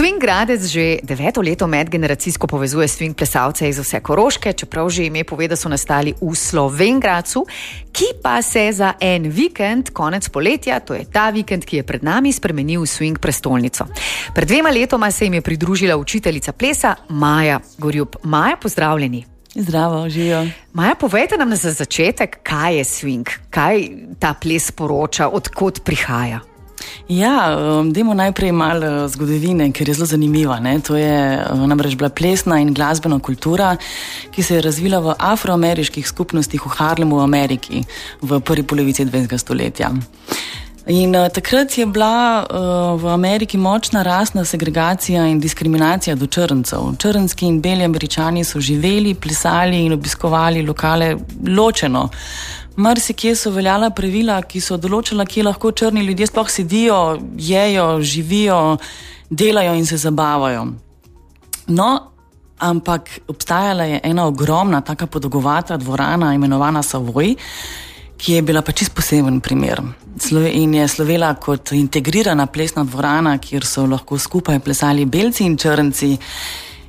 Swing Gradec že 9. leto medgeneracijsko povezuje swing plesalce iz vse Koroške, čeprav že ime pove, da so nastali v Slovenj Gradcu, ki pa se za en vikend, konec poletja, to je ta vikend, ki je pred nami, spremenil v swing prestolnico. Pred 2 letoma se jim je pridružila učiteljica plesa Maja Gorjup. Maja, pozdravljeni. Zdravo, živijo. Maja, povejte nam za začetek, kaj je swing, kaj ta ples poroča, odkot prihaja. Ja, dajmo najprej malo zgodovine, ker je zelo zanimiva. Ne? To je namreč bila plesna in glasbena kultura, ki se je razvila v afroameriških skupnostih v Harlemu v Ameriki v prvi polovici 20. stoletja. In takrat je bila v Ameriki močna rasna segregacija in diskriminacija do črncev. Črnski in beli Američani so živeli, plesali in obiskovali lokale ločeno. Marsikje so veljala pravila, ki so določala, kje lahko črni ljudje sploh sedijo, jejo, živijo, delajo in se zabavajo. No, ampak obstajala je ena ogromna, taka podolgovata dvorana, imenovana Savoy, ki je bila pa čisto poseben primer. In je slovela kot integrirana plesna dvorana, kjer so lahko skupaj plesali belci in črnci.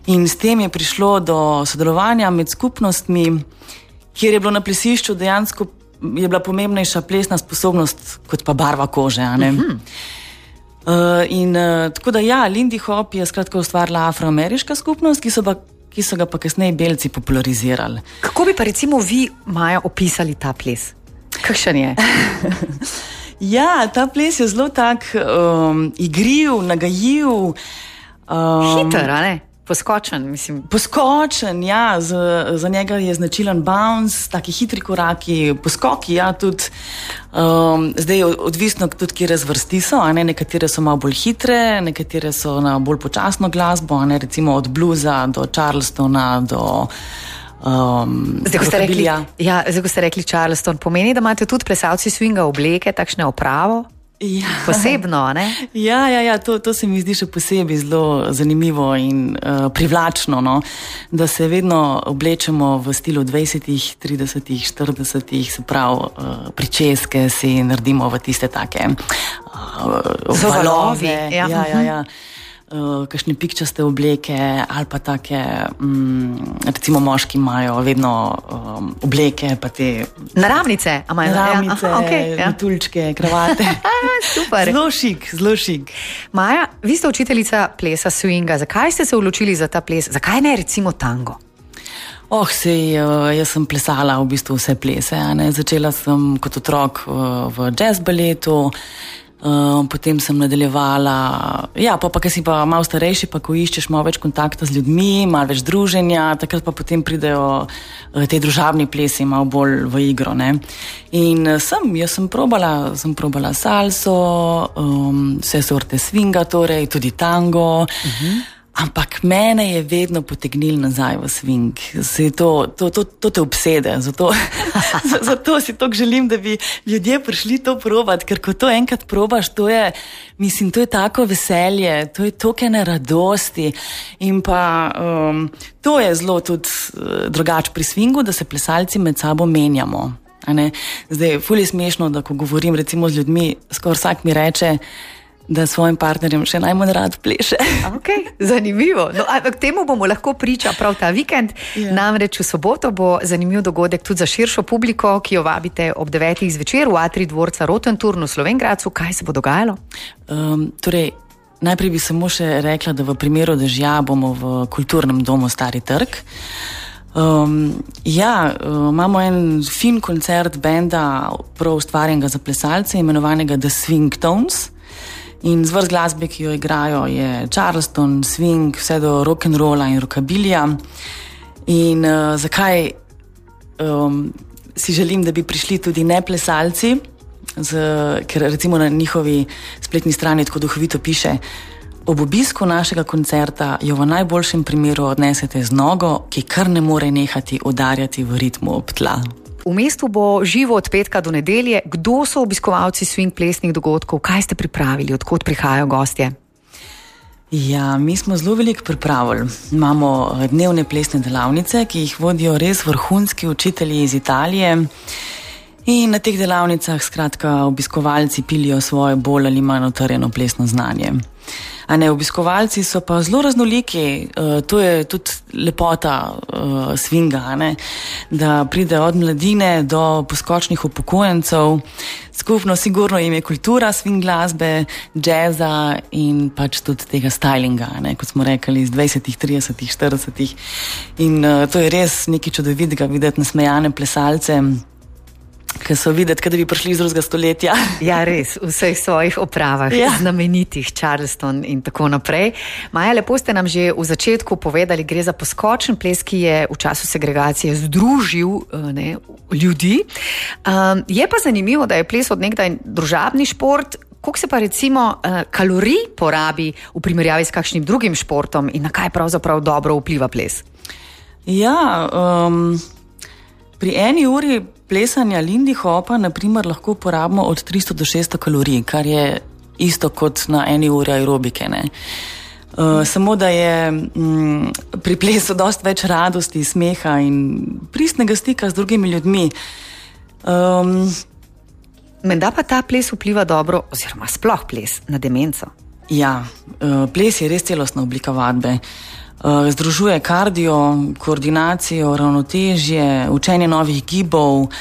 In s tem je prišlo do sodelovanja med skupnostmi, kjer je bilo na plesišču dejansko je bila pomembnejša plesna sposobnost kot pa barva kože. Tako da ja, Lindy Hop je skratka ustvarila afroameriška skupnost, ki so ga pa kasneje belci popularizirali. Kako bi pa recimo vi, Maja, opisali ta ples? Kakšen je? Ja, ta ples je zelo tak igriv, nagajiv. Hiter, a ne? Poskočen, mislim. Poskočen, ja, za njega je značilen bounce, taki hitri koraki, poskoki, ja, tudi zdaj je odvisno tudi, kje razvrsti so, a ne, nekatere so malo bolj hitre, nekatere so na bolj počasno glasbo, a ne, recimo od bluza do Charlestona do rockabillyja. Zdaj, ko ste rekli Charleston, pomeni, da imate tudi plesalci swinga obleke, takšne opravo? Ja. Posebno, ne? Ja, to se mi zdi še posebej zelo zanimivo in privlačno, no? Da se vedno oblečemo v stilu 20, 30, 40, se pravi pričeske si naredimo v tiste take valove. Ja. Kakšne pikčaste obleke ali pa take, recimo moški imajo vedno obleke, pa te naravnice, metuljčke, kravate. Super. Zelo šik. Maja, vi ste učiteljica plesa swinga. Zakaj ste se odločili za ta ples? Zakaj ne recimo tango? Jaz sem plesala v bistvu vse plese. Ne? Začela sem kot otrok v jazz baletu, potem sem nadaljevala, pa ko si pa malo starejši, pa ko iščeš malo več kontakta z ljudmi, malo več druženja, takrat pa potem pridejo te družabni plesi malo bolj v igro. Ne? In jaz sem probala salso, vse sorte swinga, torej tudi tango, ampak mene je vedno potegnil nazaj v swing. To te obsede, zato si tako želim, da bi ljudje prišli to probati, ker ko to enkrat probaš, to je tako veselje, to je toliko ene radosti in pa to je zelo tudi drugače pri swingu, da se plesalci med sabo menjamo. Zdaj, ful je smešno, da ko govorim recimo z ljudmi, skoraj vsak mi reče, da svojim partnerjem še najmanj rad pleše. Ok, zanimivo. No, k temu bomo lahko priča prav ta vikend. Yeah. Namreč v soboto bo zanimiv dogodek tudi za širšo publiko, ki jo vabite ob 9. zvečer v atrij dvorca Rotenturn v Slovenj Gradcu. Kaj se bo dogajalo? Najprej bi samo še rekla, da v primeru dežja bomo v kulturnem domu Stari trg. Imamo en fin koncert benda prav ustvarjenega za plesalce, imenovanega The Swing Tones. In zvrst glasbe, ki jo igrajo, je Charleston, swing, vse do rock'n'rolla in rockabillyja. In zakaj si želim, da bi prišli tudi neplesalci, ker recimo na njihovi spletni strani tako duhovito piše: ob obisku našega koncerta jo v najboljšem primeru odnesete z nogo, ki kar ne more nehati udarjati v ritmu ob tla. V mestu bo živo od petka do nedelje. Kdo so obiskovalci swing plesnih dogodkov? Kaj ste pripravili? Odkot prihajajo gostje? Ja, mi smo zelo veliko pripravili. Imamo dnevne plesne delavnice, ki jih vodijo res vrhunski učitelji iz Italije. In na teh delavnicah skratka obiskovalci pilijo svoje bolj ali manj utrjeno plesno znanje. A ne, obiskovalci so pa zelo raznoliki, to je tudi lepota swinga, a ne, da pride od mladine do poskočnih upokojencev. Skupno sigurno jim je kultura swing glasbe, jazza in pač tudi tega stylinga, ne, kot smo rekli, iz 20, 30, 40. In to je res nekaj čudovitega videti nasmejane plesalce, ki so videti, da bi prišli iz drugega stoletja. Ja, res, v vseh svojih opravah, znamenitih, Charleston in tako naprej. Maja, lepo ste nam že v začetku povedali, gre za poskočen ples, ki je v času segregacije združil ljudi. Je pa zanimivo, da je ples od nekdaj družabni šport. Koliko se pa recimo kalorij porabi v primerjavi s kakšnim drugim športom in na kaj pravzaprav dobro vpliva ples? Ja, pri eni uri plesanja lindy hopa, naprimer, lahko porabimo od 300 do 600 kalorij, kar je isto kot na eni uri aerobike, ne. Samo da je pri plesu dosti več radosti, smeha in pristnega stika z drugimi ljudmi. Menda pa ta ples vpliva dobro, oziroma sploh ples, na demenco. Ja, ples je res celostna oblika vadbe. Združuje kardio, koordinacijo, ravnotežje, učenje novih gibov,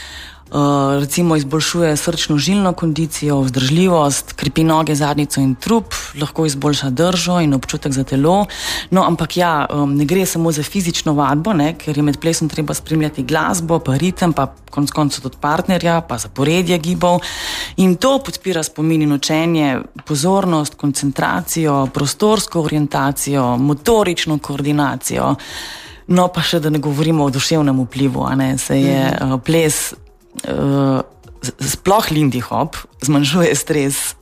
recimo izboljšuje srčno-žilno kondicijo, vzdržljivost, krepi noge, zadnjico in trup, lahko izboljša držo in občutek za telo. No, ampak ja, ne gre samo za fizično vadbo, ne, ker je med plesom treba spremljati glasbo, pa ritem, pa konec koncev tudi partnerja, pa zaporedje gibov. In to podpira spomin in učenje, pozornost, koncentracijo, prostorsko orientacijo, motorično koordinacijo. No, pa še da ne govorimo o duševnem vplivu, a ne, se je ples sploh lindy hop zmanjšuje stres.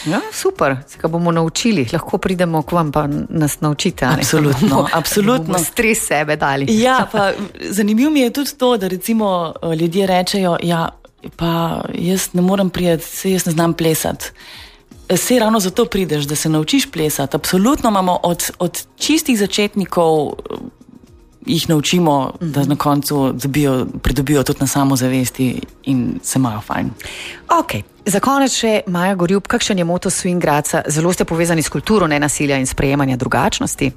Ja, super, se ga bomo naučili, lahko pridemo k vam pa nas naučite. Absolutno, absolutno. Bomo stres sebe dali. Ja, pa zanimivo mi je tudi to, da recimo ljudje rečejo, ja, pa jaz ne morem priti, saj jaz ne znam plesati. Saj ravno zato prideš, da se naučiš plesati. Absolutno imamo od čistih začetnikov jih naučimo, da na koncu pridobijo tudi na samozavesti in se imajo fajn. Ok, za konec še Maja Gorjup, kakšen je moto Swing Gradca? Zelo ste povezani s kulturo nenasilja in sprejemanja drugačnosti?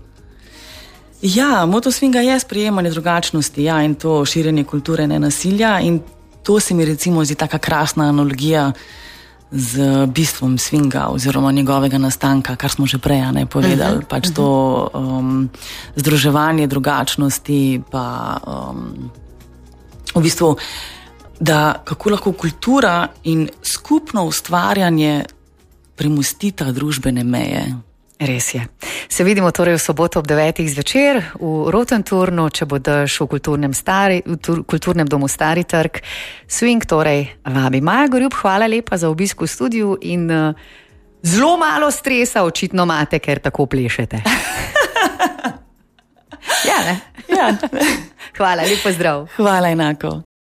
Ja, moto swinga je sprejemanje drugačnosti, ja, in to širjenje kulture nenasilja, in to se mi recimo zdi taka krasna analogija z bistvom swinga oziroma njegovega nastanka, kar smo že prej povedali, pač to združevanje drugačnosti, pa v bistvu, da kako lahko kultura in skupno ustvarjanje premostita družbene meje. Res je. Se vidimo torej v soboto ob 9. zvečer v Rotenturnu, če bo dež v kulturnem domu Stari trg. Swing torej vabi. Maja Gorjup, hvala lepa za obisk v studiu in zelo malo stresa očitno imate, ker tako plešete. Ja, ne? Ja. Hvala, lepo zdrav. Hvala enako.